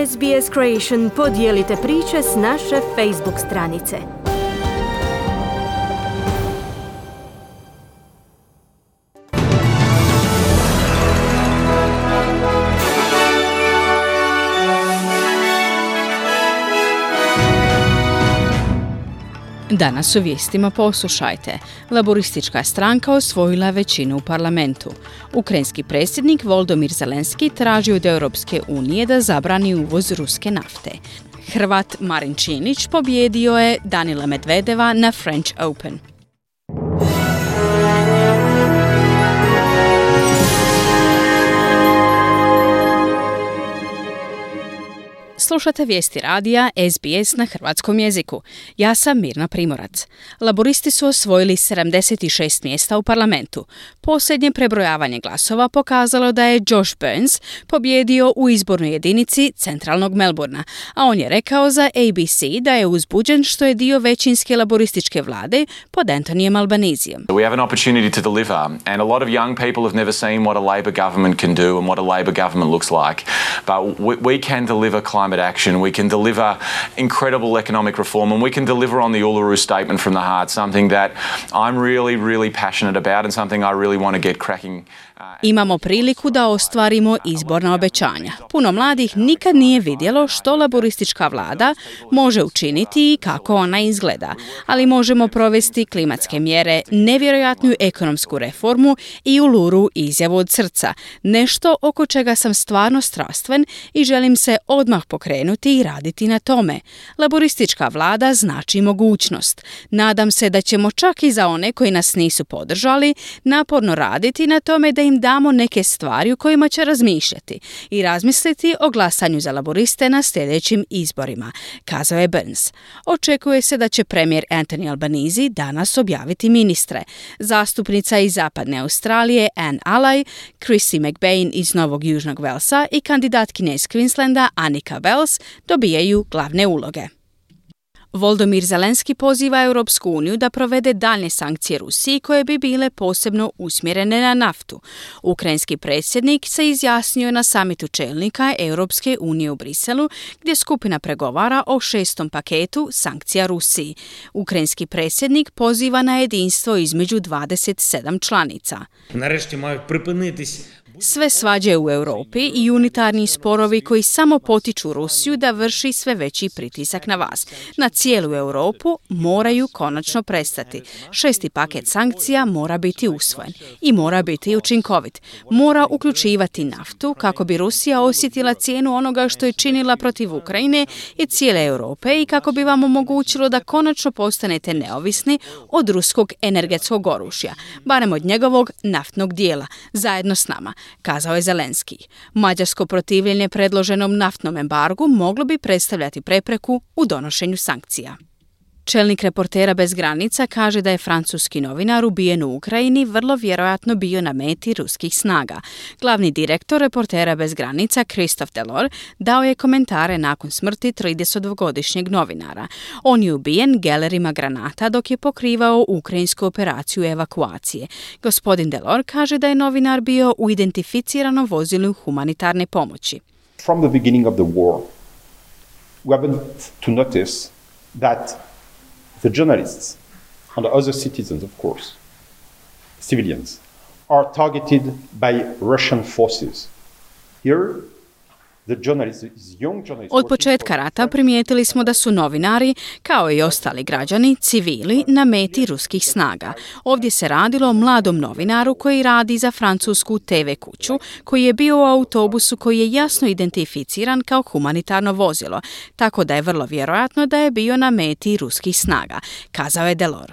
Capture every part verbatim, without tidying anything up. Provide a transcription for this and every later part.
S B S Creation podijelite priče s naše Facebook stranice. Danas u vijestima poslušajte. Laboristička stranka osvojila većinu u parlamentu. Ukrajinski predsjednik Volodymyr Zelenski traži od Europske unije da zabrani uvoz ruske nafte. Hrvat Marin Činić pobjedio je Danila Medvedeva na French Open. Slušate vijesti radija S B S na hrvatskom jeziku. Ja sam Mirna Primorac. Laboristi su osvojili sedamdeset šest mjesta u parlamentu. Posljednje prebrojavanje glasova pokazalo da je Josh Burns pobjedio u izbornoj jedinici centralnog Melbourna, a on je rekao za A B C da je uzbuđen što je dio većinske laborističke vlade pod Antonijem Albanezijem. We have an opportunity to deliver, and a lot of young people have never seen what a Labor government can do and what a Labor government looks like. But we, we can deliver climate action, we can deliver incredible economic reform, and we can deliver on the Uluru Statement from the heart, something that I'm really, really passionate about and something I really want to get cracking. Imamo priliku da ostvarimo izborna obećanja. Puno mladih nikad nije vidjelo što laboristička vlada može učiniti i kako ona izgleda, ali možemo provesti klimatske mjere, nevjerojatnu ekonomsku reformu i Uluru izjavu od srca, nešto oko čega sam stvarno strastven i želim se odmah pokrenuti i raditi na tome. Laboristička vlada znači mogućnost. Nadam se da ćemo čak i za one koji nas nisu podržali naporno raditi na tome da im damo neke stvari u kojima će razmišljati i razmisliti o glasanju za laboriste na sljedećim izborima, kazao je Burns. Očekuje se da će premijer Anthony Albanese danas objaviti ministre. Zastupnica iz zapadne Australije Anne Alay, Chrissy McBain iz Novog Južnog Velsa i kandidatkinja iz Queenslanda Annika Wells dobijaju glavne uloge. Volodymyr Zelenski poziva Europsku uniju da provede daljnje sankcije Rusiji koje bi bile posebno usmjerene na naftu. Ukrajinski predsjednik se izjasnio na samitu čelnika Europske unije u Briselu, gdje skupina pregovara o šestom paketu sankcija Rusiji. Ukrajinski predsjednik poziva na jedinstvo između dvadeset sedam članica. Нарешті мають припинитись. Sve svađe u Europi i unitarni sporovi koji samo potiču Rusiju da vrši sve veći pritisak na vas. Na cijelu Europu moraju konačno prestati. Šesti paket sankcija mora biti usvojen i mora biti učinkovit. Mora uključivati naftu kako bi Rusija osjetila cijenu onoga što je činila protiv Ukrajine i cijele Europe i kako bi vam omogućilo da konačno postanete neovisni od ruskog energetskog oružja, barem od njegovog naftnog dijela, zajedno s nama, kazao je Zelenski. Mađarsko protivljenje predloženom naftnom embargu moglo bi predstavljati prepreku u donošenju sankcija. Čelnik Reportera bez granica kaže da je francuski novinar ubijen u Ukrajini vrlo vjerojatno bio na meti ruskih snaga. Glavni direktor Reportera bez granica Christophe Delors dao je komentare nakon smrti tridesetdvogodišnjeg novinara. On je ubijen gelerima granata dok je pokrivao ukrajinsku operaciju evakuacije. Gospodin Delors kaže da je novinar bio u identificiranom vozilu humanitarne pomoći. From the beginning of the war, we haven't to notice that the journalists and the other citizens, of course, civilians, are targeted by Russian forces. Here, the journalists, young journalists... Od početka rata primijetili smo da su novinari, kao i ostali građani, civili, na meti ruskih snaga. Ovdje se radilo o mladom novinaru koji radi za francusku T V kuću, koji je bio u autobusu koji je jasno identificiran kao humanitarno vozilo, tako da je vrlo vjerojatno da je bio na meti ruskih snaga, kazao je Delors.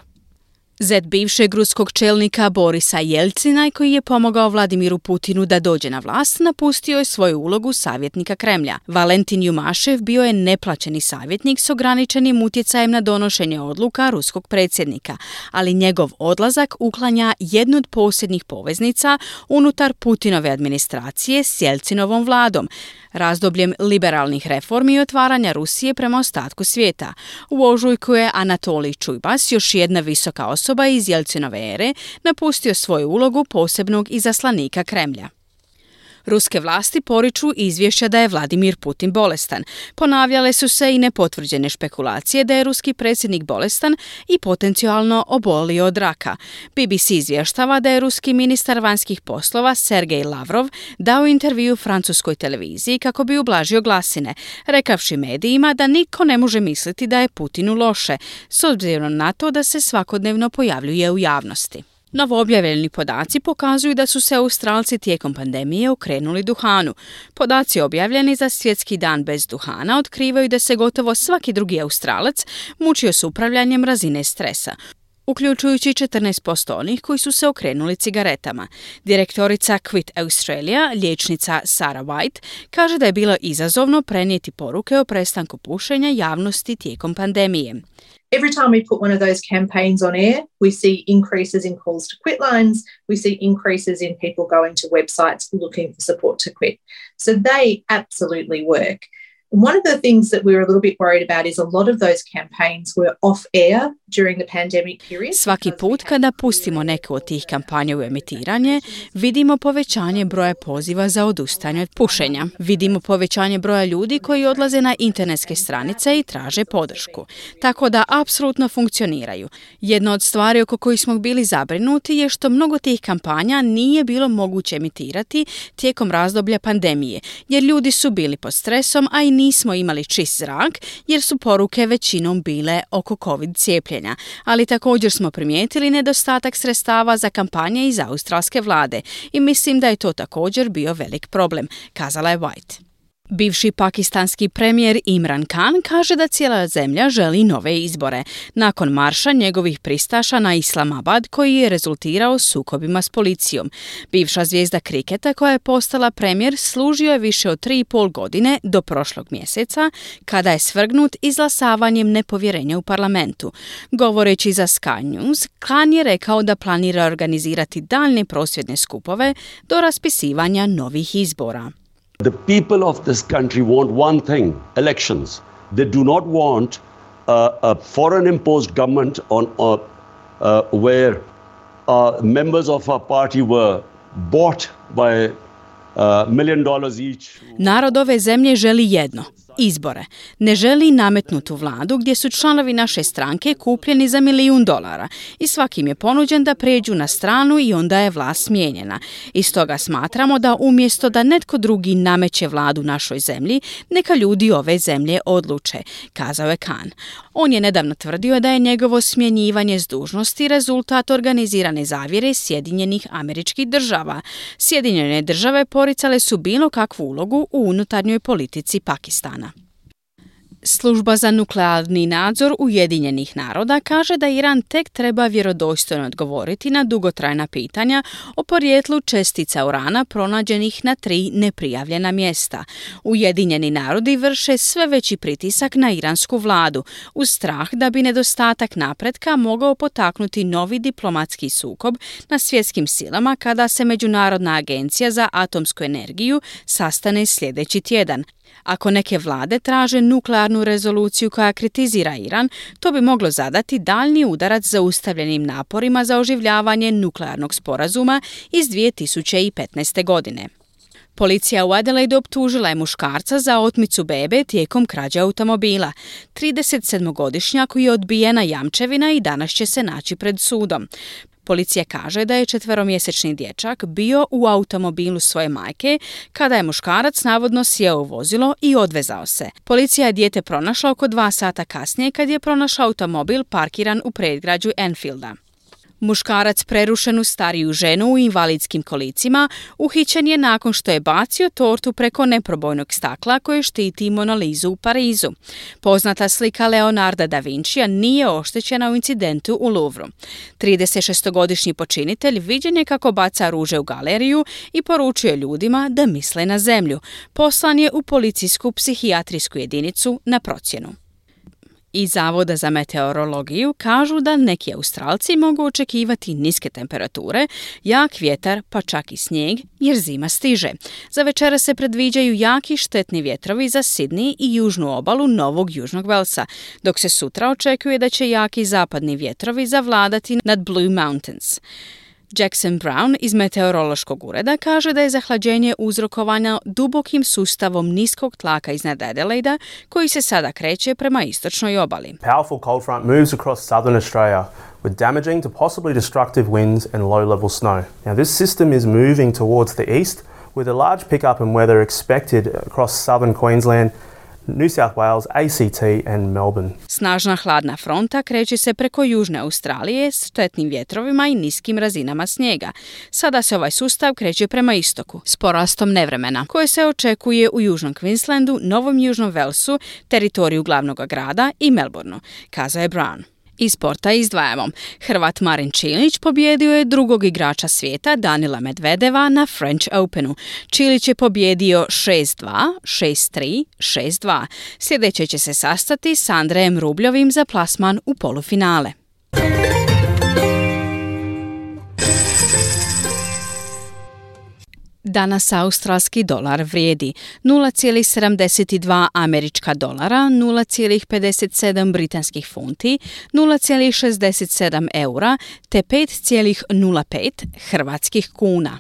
Zet bivšeg ruskog čelnika Borisa Jelcina, koji je pomogao Vladimiru Putinu da dođe na vlast, napustio je svoju ulogu savjetnika Kremlja. Valentin Jumašev bio je neplaćeni savjetnik s ograničenim utjecajem na donošenje odluka ruskog predsjednika, ali njegov odlazak uklanja jednu od posljednjih poveznica unutar Putinove administracije s Jelcinovom vladom, razdobljem liberalnih reformi i otvaranja Rusije prema ostatku svijeta. U ožujku je Anatolij Čujbas, još jedna visoka osoba iz Jelcinove ere, napustio svoju ulogu posebnog izaslanika Kremlja. Ruske vlasti poriču izvješća da je Vladimir Putin bolestan. Ponavljale su se i nepotvrđene špekulacije da je ruski predsjednik bolestan i potencijalno obolio od raka. B B C izvještava da je ruski ministar vanjskih poslova Sergej Lavrov dao intervju francuskoj televiziji kako bi ublažio glasine, rekavši medijima da nitko ne može misliti da je Putinu loše, s obzirom na to da se svakodnevno pojavljuje u javnosti. Novoobjavljeni podaci pokazuju da su se Australci tijekom pandemije okrenuli duhanu. Podaci objavljeni za Svjetski dan bez duhana otkrivaju da se gotovo svaki drugi Australac mučio s upravljanjem razine stresa, uključujući četrnaest posto onih koji su se okrenuli cigaretama. Direktorica Quit Australia, liječnica Sarah White, kaže da je bilo izazovno prenijeti poruke o prestanku pušenja javnosti tijekom pandemije. Every time we put one of those campaigns on air, we see increases in calls to quit lines, we see increases in people going to websites looking for support to quit. So they absolutely work. One of the things that we were a little bit worried about is a lot of those campaigns were off air during the pandemic period. Svaki put kada pustimo neku od tih kampanja u emitiranje, vidimo povećanje broja poziva za odustajanje od pušenja. Vidimo povećanje broja ljudi koji odlaze na internetske stranice i traže podršku. Tako da apsolutno funkcioniraju. Jedna od stvari oko kojih smo bili zabrinuti je što mnogo tih kampanja nije bilo moguće emitirati tijekom razdoblja pandemije, jer ljudi su bili pod stresom, a i nismo imali čist zrak jer su poruke većinom bile oko COVID cijepljenja, ali također smo primijetili nedostatak sredstava za kampanje iz australske vlade i mislim da je to također bio velik problem, kazala je White. Bivši pakistanski premijer Imran Khan kaže da cijela zemlja želi nove izbore, nakon marša njegovih pristaša na Islamabad koji je rezultirao sukobima s policijom. Bivša zvijezda kriketa koja je postala premijer služio je više od tri i pol godine do prošlog mjeseca, kada je svrgnut izglasavanjem nepovjerenja u parlamentu. Govoreći za Sky News, Khan je rekao da planira organizirati daljne prosvjedne skupove do raspisivanja novih izbora. The people of this country want one thing, elections. They do not want a, a foreign imposed government on uh, uh, where uh, members of our party were bought by uh, million dollars each. Narod ove zemlje želi jedno, izbore. Ne želi nametnutu vladu gdje su članovi naše stranke kupljeni za milijun dolara i svakim je ponuđen da pređu na stranu i onda je vlast smijenjena. I stoga smatramo da umjesto da netko drugi nameće vladu našoj zemlji, neka ljudi ove zemlje odluče, kazao je Khan. On je nedavno tvrdio da je njegovo smjenjivanje s dužnosti rezultat organizirane zavjere Sjedinjenih Američkih Država. Sjedinjene države poricale su bilo kakvu ulogu u unutarnjoj politici Pakistana. Služba za nuklearni nadzor Ujedinjenih naroda kaže da Iran tek treba vjerodostojno odgovoriti na dugotrajna pitanja o porijeklu čestica urana pronađenih na tri neprijavljena mjesta. Ujedinjeni narodi vrše sve veći pritisak na iransku vladu, uz strah da bi nedostatak napretka mogao potaknuti novi diplomatski sukob na svjetskim silama kada se Međunarodna agencija za atomsku energiju sastane sljedeći tjedan. Ako neke vlade traže nuklearnu rezoluciju koja kritizira Iran, to bi moglo zadati daljnji udarac zaustavljenim naporima za oživljavanje nuklearnog sporazuma iz dvije tisuće petnaeste. godine. Policija u Adelaide optužila je muškarca za otmicu bebe tijekom krađe automobila. tridesetsedmogodišnjak je odbijena jamčevina i danas će se naći pred sudom. Policija kaže da je četveromjesečni dječak bio u automobilu svoje majke kada je muškarac navodno sjeo u vozilo i odvezao se. Policija je dijete pronašla oko dva sata kasnije kad je pronašao automobil parkiran u predgrađu Enfielda. Muškarac prerušenu stariju ženu u invalidskim kolicima uhićen je nakon što je bacio tortu preko neprobojnog stakla koje štiti Mona Lisu u Parizu. Poznata slika Leonarda da Vincija nije oštećena u incidentu u Louvru. tridesetšestogodišnji počinitelj viđen je kako baca ruže u galeriju i poručuje ljudima da misle na zemlju. Poslan je u policijsku psihijatrijsku jedinicu na procjenu. Iz Zavoda za meteorologiju kažu da neki Australci mogu očekivati niske temperature, jak vjetar pa čak i snijeg jer zima stiže. Za večera se predviđaju jaki štetni vjetrovi za Sydney i južnu obalu Novog Južnog Velsa, dok se sutra očekuje da će jaki zapadni vjetrovi zavladati nad Blue Mountains. Jackson Brown iz meteorološkog ureda kaže da je zahlađenje uzrokovano dubokim sustavom niskog tlaka iznad Adelaida koji se sada kreće prema istočnoj obali. Powerful cold front moves across southern Australia with damaging to possibly destructive winds and low-level snow. Now this system is moving towards the east with a large pickup in weather expected across southern Queensland, New South Wales, A C T and Melbourne. Snažna hladna fronta kreće se preko južne Australije s štetnim vjetrovima i niskim razinama snijega. Sada se ovaj sustav kreće prema istoku s porastom nevremena, koje se očekuje u južnom Queenslandu, Novom Južnom Walesu, teritoriju glavnog grada i Melbourneu, kazao je Brown. Iz sporta izdvajamo. Hrvat Marin Čilić pobjedio je drugog igrača svijeta Danila Medvedeva na French Openu. Čilić je pobjedio šest dva, šest tri, šest dva. Sljedeće će se sastati s Andrejem Rubljovim za plasman u polufinale. Danas australski dolar vrijedi nula zarez sedamdeset dva američka dolara, nula zarez pedeset sedam britanskih funti, nula zarez šezdeset sedam eura te pet zarez nula pet hrvatskih kuna.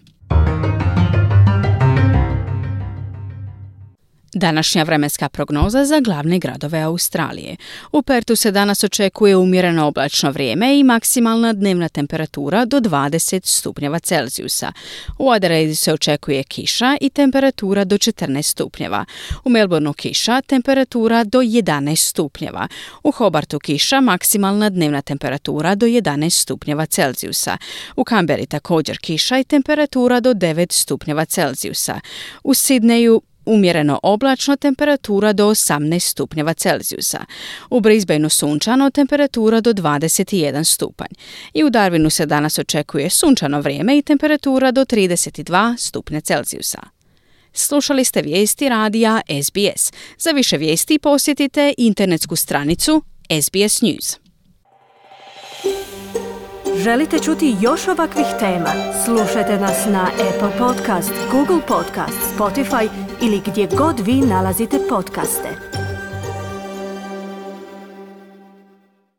Današnja vremenska prognoza za glavne gradove Australije. U Pertu se danas očekuje umjereno oblačno vrijeme i maksimalna dnevna temperatura do dvadeset stupnjeva Celzijusa. U Adelaidu se očekuje kiša i temperatura do četrnaest stupnjeva. U Melbourneu kiša, temperatura do jedanaest stupnjeva. U Hobartu kiša, maksimalna dnevna temperatura do jedanaest stupnjeva Celzijusa. U Canberri također kiša i temperatura do devet stupnjeva Celzijusa. U Sidneju umjereno oblačno, temperatura do osamnaest stupnjeva Celzijusa. U Brisbaneu sunčano, temperatura do dvadeset jedan stupanj. I u Darwinu se danas očekuje sunčano vrijeme i temperatura do trideset dva stupnja Celzijusa. Slušali ste vijesti radija S B S. Za više vijesti posjetite internetsku stranicu S B S News. Želite čuti još ovakvih tema? Slušajte nas na Apple Podcast, Google Podcast, Spotify ili gdje god vi nalazite podcaste.